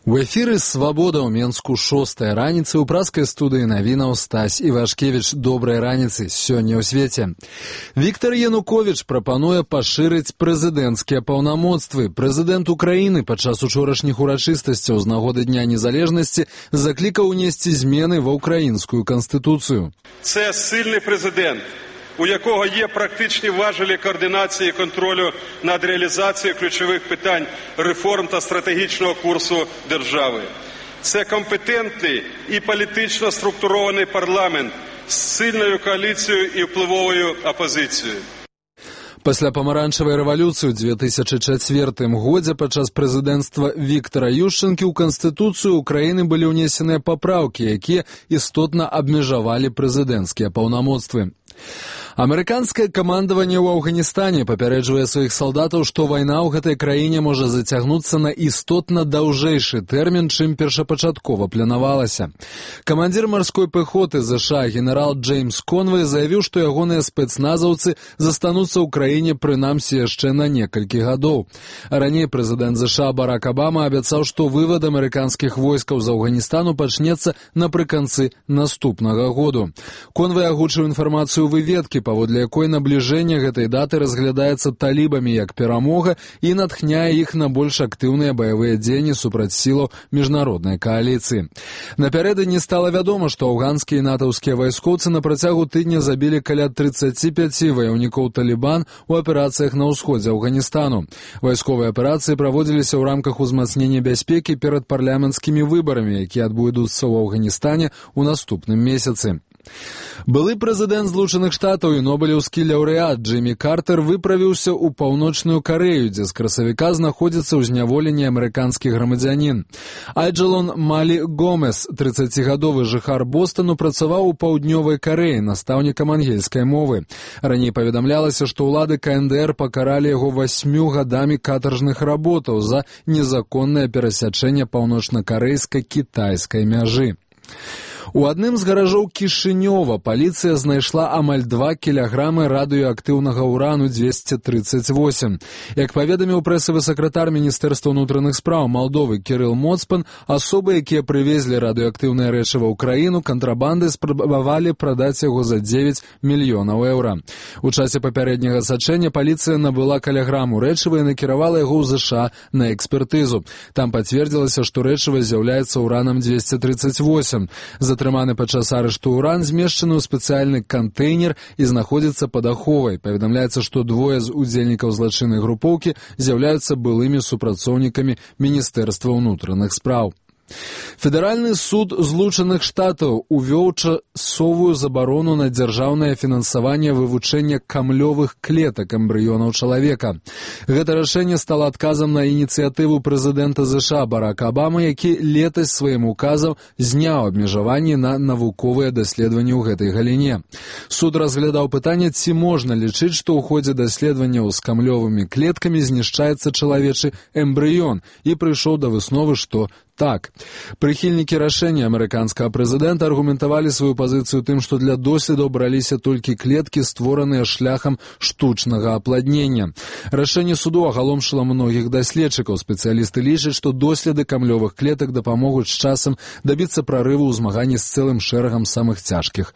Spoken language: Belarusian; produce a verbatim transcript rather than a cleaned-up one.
У эфіры «Свабода» ў Менску шостая раніцы ў праскай студыі навінаў Стась Івашкевіч. Добрай раніцы сёння ў свеце. Віктор Януковіч прапануе пашырыць прэзідэнцкія паўнамоцтвы. Прэзідэнт Украіны падчас учорашніх урачыстасцяў з нагоды Дня Незалежнасці заклікаў унесці змены ва ўкраінскую канстытуцыю. Це сильний президент, у якого є практичні важелі координації і контролю над реалізацією ключових питань реформ та стратегічного курсу держави. Це компетентний і політично структурований парламент з сильною коаліцією і впливовою опозицією. Пасля памаранчавай рэвалюцыі ў дзве тысячы чацвёртым годзе падчас прэзідэнцтва Віктара Юшчэнкі ў Канстытуцыю Украіны былі ўнесеныя папраўкі, якія істотна абмежавалі прэзідэнцкія паўнамоцтвы. Амерыканскае камандаванне ў Афганістане папярэджвае сваіх салдатаў, што вайна ў гэтай краіне можа зацягнуцца на істотна даўжэйшы тэрмін, чым першапачаткова планавалася. Камандзір марской пэхоты ЗША генерал Джеймс Конвэй заявіў, што ягоныя спецназаўцы застануцца ў краіне прынамсі яшчэ на некалькі гадоў. Раней прэзідэнт ЗША Барак Абама абяцаў, што вывад амерыканскіх войскаў з Афганістану пачнецца напрыканцы наступнага году. Конвэй агучыў інфармацыю выведкі, паводле якой набліжэнне гэтай даты разглядаецца талібамі як перамога і натхняе іх на больш актыўныя баявыя дзеянні супраць сілаў міжнароднай кааліцыі. Напярэдадні стала вядома, што афганскія і натаўскія вайскоўцы на працягу тыдня забілі каля трыццаці пяці ваяўнікоў Талібан у аперацыях на ўсходзе Афганістану. Вайсковыя аперацыі праводзіліся ў рамках узмацнення бяспекі перад парламенцкімі выбарамі, якія адбудуцца ў Афганістане ў наступным месяцы. Былы прэзідэнт Злучаных Штатаў і нобелеўскі лаўрэат Джиммі Картер выправіўся ў Паўночную Карэю, дзе з красавіка знаходзіцца ў зняволенні амерыканскі грамадзянін. Айджалон Малі Гомес, трыццацігадовы жыхар Бостону, працаваў у Паўднёвай Карэі настаўнікам ангельскай мовы. Раней паведамлялася, што ўлады КНДР пакаралі яго васьмю гадамі катаржных работаў за незаконнае перасячэнне паўночна-карэйскай кітайскай мяжы. У адным з гаражоў Кішынёва паліцыя знайшла амаль два кілаграмы радыеактыўнага ўрану дзвесце трыццаць восем. Як паведаміў прэсавы сакратар Міністэрства ўнутраных спраў Малдовы Кірыл Моцпан, асобы, якія прывезлі радыеактыўнае рэчыва ў краіну, кантрабандай спрабавалі прадаць яго за дзевяць мільёнаў еўра. У часе папярэдняга сачэння паліцыя набыла кілаграму рэчыва і накіравала яго ў ЗША на экспертызу. Там пацвердзілася, што рэчыва з'яўляецца ўранам дзвесце трыццаць восем. Затрыманы падчас арышту ўран змешчаны ў спецыяльны кантэйнер і знаходзіцца пад аховай. Паведамляецца, што двое з удзельнікаў злачыннай групоўкі з'яўляюцца былымі супрацоўнікамі Міністэрства ўнутраных спраў. Федэральны суд Злучаных Штатаў увёў часовую забарону на дзяржаўнае фінансаванне вывучэння камлёвых клетак эмбрыёнаў чалавека. Гэта рашэнне стала адказам на ініцыятыву прэзідэнта ЗША Барака Абамы, які летась сваім указам зняў абмежаванні на навуковыя даследаванні ў гэтай галіне. Суд разглядаў пытанне, ці можна лічыць, што ў ходзе даследаванняў з камлёвымі клеткамі знішчаецца чалавечы эмбрыён, і прыйшоў да высновы, што так. Прыхільнікі рашэння амерыканскага прэзідэнта аргументавалі сваю пазіцыю тым, што для доследаў браліся толькі клеткі, створаныя шляхам штучнага апладнення. Рашэнне суду агаломшыла многіх даследчыкаў. Спецыялісты лічаць, што доследы камлёвых клетак дапамогуць з часам дабіцца прарыву ў змаганні з цэлым шэрагам самых цяжкіх